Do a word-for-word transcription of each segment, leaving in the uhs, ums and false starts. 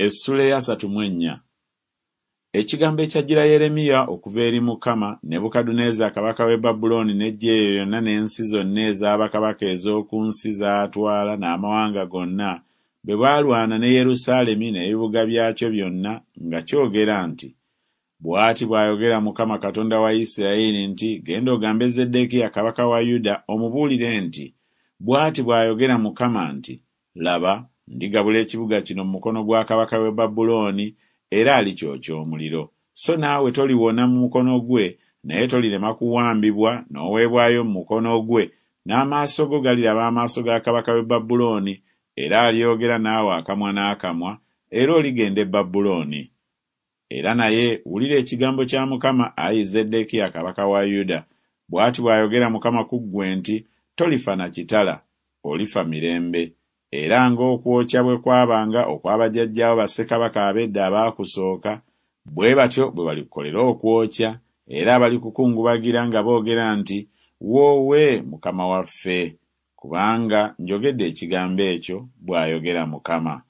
Essula ey'asatu mu ennya. Ekigambo ekyajjira Yeremiya okuva eri Mukama, Nebukadduneeza kabaka w'e Babulooni n'eggye lye lyonna n'ensi zonna eza bakabaka ez'oku nsi z'atwala n'amawanga gonna, bwe baalwana ne Yerusaalemi n'ebibuga byakyo byonna nga kyogera nti, Bw'ati bw'ayogera Mukama Katonda wa Isirayiri nti, Genda ogambe Zeddekiya kabaka wa Yuda omubuulire nti, Bw'ati bw'ayogera Mukama nti, Laba, ndigabula ekibuga kino mu mukono gwa kabaka w'e Babulooni, era alikyokya omuliro. So naawe toliwona mu mukono gwe, naye tolirema kuwambibwa n'oweebwayo mu mukono gwe, n'amaaso go galiraba amaaso ga kabaka w'e Babulooni, era alyogera naawe akamwa n'akamwa, era oligenda e Babulooni. Era naye wulira ekigambo kya Mukama, ayi Zeddekiya kabaka wa Yuda. Bw'ati bw'ayogera Mukama ku ggwe nti, Tolifa na kitala, olifa mirembe. Era ng'okwokya bwe kwabanga okwa bajjajjaabo bassekabaka ab'edda abaakusooka, bwe batyo bwe balikukolera okwokya, era balikukungubagira nga boogera nti, Woowe, Mukama waffe! Kubanga njogedde ekigambo ekyo, bw'ayogera Mukama.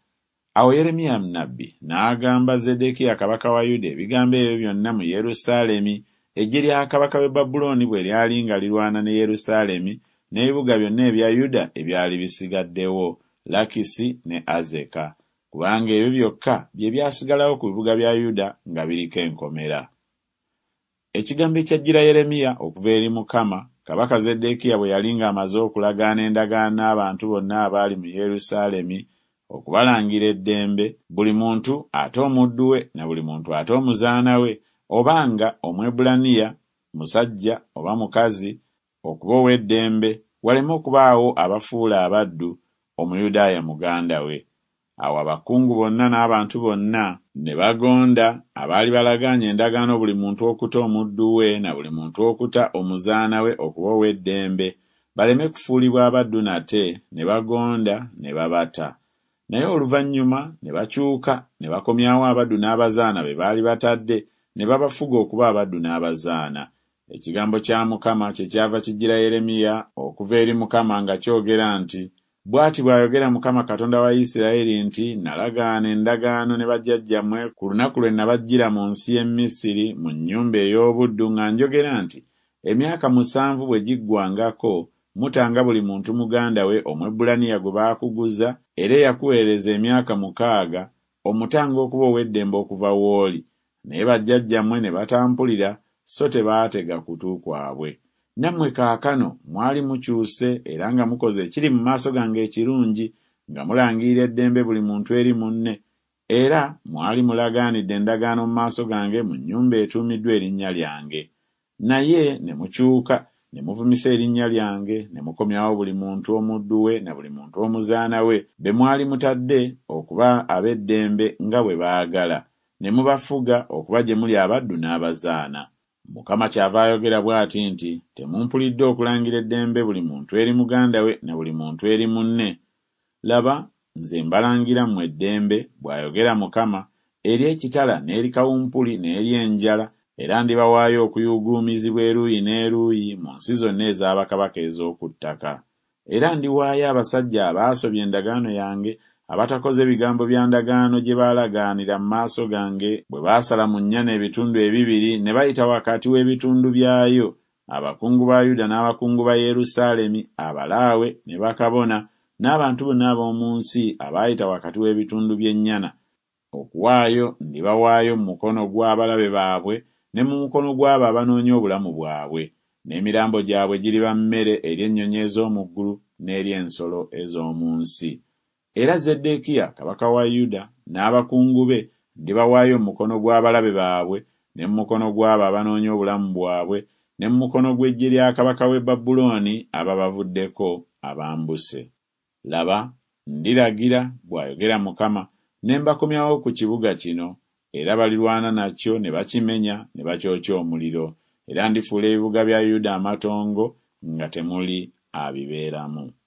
Awo Yeremiya nnabbi n'agamba Zeddekiya kabaka wa Yuda ebigambo ebyo byonna mu Yerusaalemi, eggye lya kabaka w'e Babulooni bwe lyali nga lirwana ne Yerusaalemi n'ebibuga byonna ebya Yuda ebyali bisigaddewo, Lakisi ne Azeka, kubanga ebyo byokka bye byasigalawo ku bibuga bya Yuda nga biriko enkomera. Ekigambo ekyajjira Yeremiya okuva eri Mukama, kabaka Zeddekiya bwe yali ng'amaze okulagaana endagaano n'abantu bonna abaali mu Yerusaalemi okubalangira eddembe, buli muntu ate omuddu we na buli muntu ate omuzaana we, oba nga Omwebbulaniya, musajja oba mukazi, okuba ow'eddembe, waleme okubaawo abafuula abaddu Omuyudaaya muganda we. Awo abakungu bonna n'abantu bonna ne bagonda, abaali balagaanye endagaano buli muntu okuta omuddu we na buli muntu okuta omuzaana we okuba ow'eddembe, baleme kufuulibwa abaddu nate, ne bagonda ne babata. Naye oluvannyuma ne bakyuka ne bakomyawo abaddu n'abazaana be baali batadde, ne babafuga okuba abaddu n'abazaana. Ekigambo kya Mukama kyekyava kijjira Yeremiya okuva eri Mukama nga kyogera nti, Bw'ati bw'ayogera Mukama Katonda wa Isirayiri nti, Nalagaana endagaano ne bajjajjammwe ku lunaku lwe nabaggyira mu nsi y'e Misiri mu nnyumba ey'obuddu nga njogera nti, Emyaka musanvu bwe giggwangako, mutanga buli muntu muganda we Omwebbulaniya gwe baakuguza era eyakuweereza emyaka mukaaga, omutanga okuba ow'eddembe okuva w'oli. Naye bajjajjammwe ne batampulira so tebaatega kutu kwabwe. Nammwe kaakano mwali mukyuse era nga mukoze ekiri mu maaso gange ekirungi, nga mulangirira eddembe buli muntu eri munne, era mwali mulagaanidde endagaano mu maaso gange mu nnyumba etuumiddwa erinnya lyange. Naye ne mukyuka ne muvumisa erinnya lyange, ne mukomyawo buli muntu omuddu we na buli muntu omuzaana we, be mwali mutadde okuba ab'eddembe nga bwe baagala, ne mubafuga okuba gye muli abaddu n'abazaana. Mukama kyava ayogera bw'ati nti, Temumpulidde okulangira eddembe buli muntu eri muganda we na buli muntu eri munne. Laba, nze mbalangira mmwe eddembe, bw'ayogera Mukama, eri ekitala n'eri kawumpuli n'eri enjala, era ndibawaayo okuyuuguumizibwa eruuyi n'eruuyi mu nsi zonna eza bakabaka ez'oku ttaka. Era ndiwaayo abasajja abaasobya endagaano yange, abatakoze bigambo bya ndagaano gye baalagaanira mu maaso gange bwe baasala mu nnyana ebitundu ebibiri ne bayita wakati w'ebitundu byayo, abakungu ba Yuda n'abakungu ba Yerusaalemi, abalaawe ne bakabona, n'abantu bonna ab'omu nsi abaayita wakati w'ebitundu by'ennyana. Okuwaayo ndibawaayo mu mukono gw'abalabe baabwe ne mu mukono gw'abo abanoonya obulamu bwabwe, n'emirambo gyabwe giriba mmere eri ennyonyi ez'omu ggulu n'eri ensolo ez'omu nsi. Era Zeddekiya kabaka wa Yuda n'abakungu be ndibawaayo mu mukono gw'abalabe baabwe ne mu mukono gw'abo abanoonya obulamu bwabwe ne mu mukono gw'eggye lya kabaka w'e Babulooni ababavuddeko abambuse. Laba, ndiragira, bw'ayogera Mukama, ne mbakomyawo ku kibuga kino, era balirwana nakyo ne bakimenya ne bakyokya omuliro, era ndifuula ebibuga bya Yuda amatongo nga temuli abibeeramu.